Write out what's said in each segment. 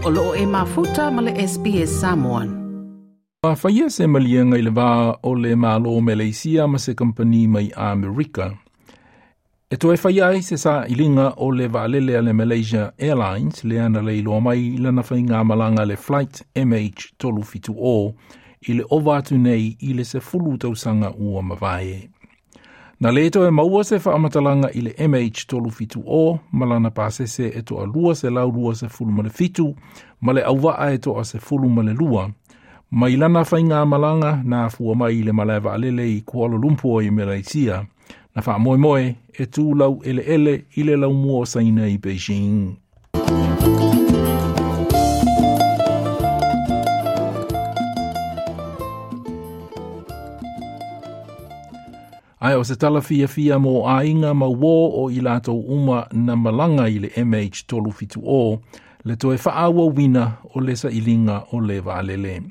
O loo e mafuta ma le SBS Samoan. A faia se maliega i le va o le Malo Meleisia ma se kampani mai Amerika. E toe faia ai se sailiga o le vaalele a le Malaysia Airlines lea na leiloa mai lana faigamalaga le Flight MH370 i le ova atu nei i le 10 tausaga ua mavae. Na le toe maua se faamatalaga i le MH370 ma lana pasese e toa 227 ma le auvaa e toa 12 mai lana faigamalaga na afua mai i le malae vaalele i Kuala Lumpur i Malaysia, na faamoemoe e tu laueleele i le laumua o Saina i Beijing. Ae o se tala fiafia mo aiga ma uō o i latou uma na malaga i le MH370 le toe faaauauina o le sailiga o le vaalele.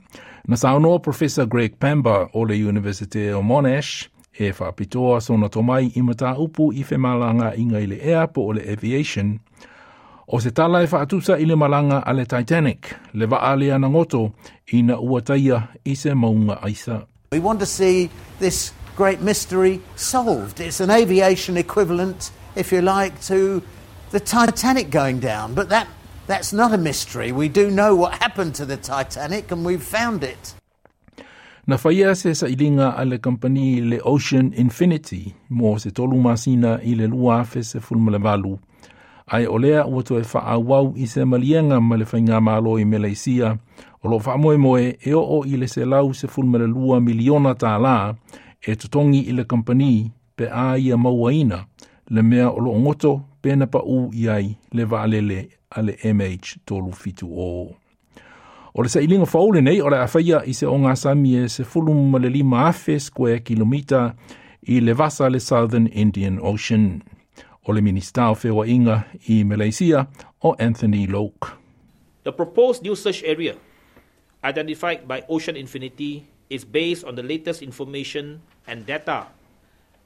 Na saunoa Professor Greg Pamber o le Universite o Monash e faapitoa sona tomai i mataupu i femalagaaiga i le ea po o le aviation, o se tala e faatusa i le malaga a le Titanic, le vaa lea na goto ina ua taia i se mauga aisa. We want to see this great mystery solved. It's an aviation equivalent, if you like, to the Titanic going down. But that's not a mystery. We do know what happened to the Titanic and we've found it. Na faia se sailiga a le kampani le Ocean Infinity mo se 3 masina i le 2018, ae o lea ua toe faaauau i se maliega ma le faigamalo i Meleisia o loo faamoemoe e oo i le $112 miliona tālā e totogi i le kampani pe a ia mauaina le mea o loo goto pe na paū i ai le vaalele a le MH370. O le sailiga fou lenei o le a faia i se ogasami e 15,000 square kilomita i le vasa le Southern Indian Ocean. O le Minista o Feoaiga i Malaysia o Anthony Loke. The proposed new search area identified by Ocean Infinity is based on the latest information and data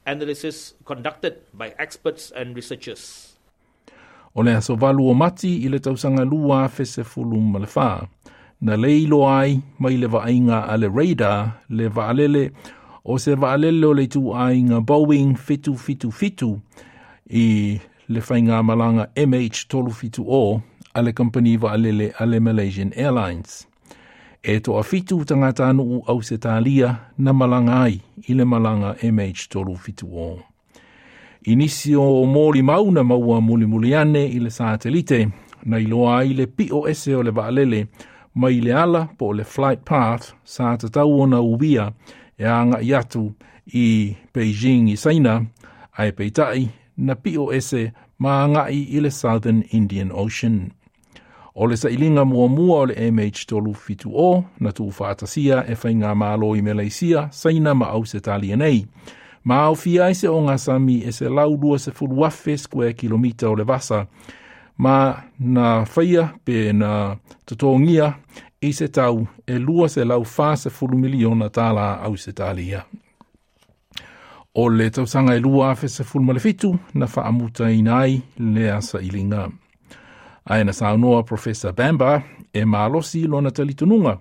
analysis conducted by experts and researchers. O le aso 8 o Mati i le tausaga 2014, na leiloa ai mai le vaaiga a le radar le vaalele o se vaalele o le ituaiga Boeing 777 i le faigamalaga MH370 a le kampani vaalele a le Malaysian Airlines. E toa 7 tagatanuu Ausetalia na malaga ai i le malaga MH370. I nisi o molimau na maua mulimuli ane i le satelite, na iloa ai le pio ese o le vaalele mai le ala po o le flight path sa tatau ona uia e aga'i atu i Beijing i Saina, ae peitai na pio ese ma aga'i i le Southern Indian Ocean. O le sailiga muamua o le MH370 na tuufaatasia e faigamalo i Meleisia, Saina ma Ausetalia nei. Ma aofia ai se ogasami e 120,000 square kilomita o le vasa, ma na faia pe na totogia i se tau e $240 miliona tālā Ausetalia. O le tausaga e 2017 na faamutaina ai lea sailiga. Ae na saunoa Professor Bamber e malosi lona talitonuga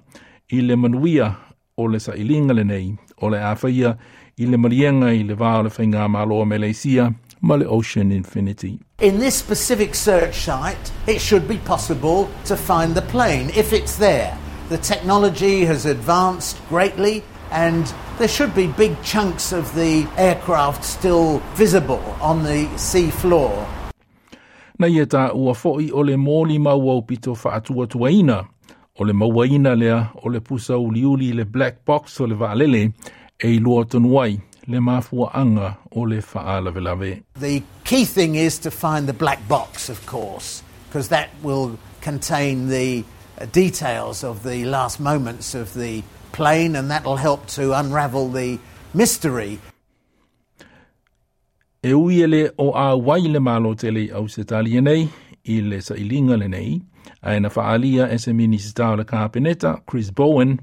i le manuia o le sailiga lenei o le a faia i le maliega i le va o le faigamalo o Meleisia ma le Ocean Infinity. In this specific search site, it should be possible to find the plane if it's there. The technology has advanced greatly and there should be big chunks of the aircraft still visible on the sea floor. Na ia tā ua foi o le molimau aupito faatuatuaina, o le mauaina lea o le pusa uliuli le black box o le vaalele e iloa tonu ai le mafuaanga o le faalavelave. The key thing is to find the black box, of course, because that will contain the details of the last moments of the plane, and that'll help to unravel the mystery. E ui e le o auai le malo tele i Ausetalia nei i le sailiga lenei, ae na faalia e se Minisita o le Kapeneta, Chris Bowen,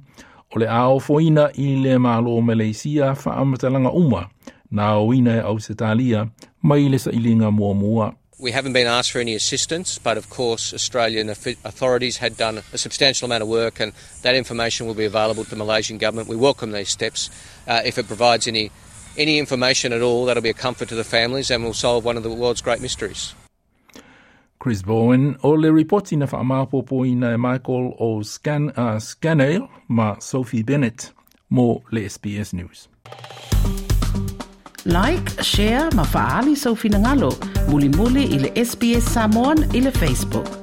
o le a ofoina i le malo Meleisia faamatalaga uma na aoina e Ausetalia mai le sailiga muamua. We haven't been asked for any assistance, but of course Australian authorities had done a substantial amount of work and that information will be available to the Malaysian government. We welcome these steps. If it provides any information at all, that'll be a comfort to the families and will solve one of the world's great mysteries. Chris Bowen o le ripoti na whaamapopoina e Michael o Scanale ma Sophie Bennett mo le SBS News. Like, share, ma faali sau finangalo. Mulimuli i le SBS Samoan i le Facebook.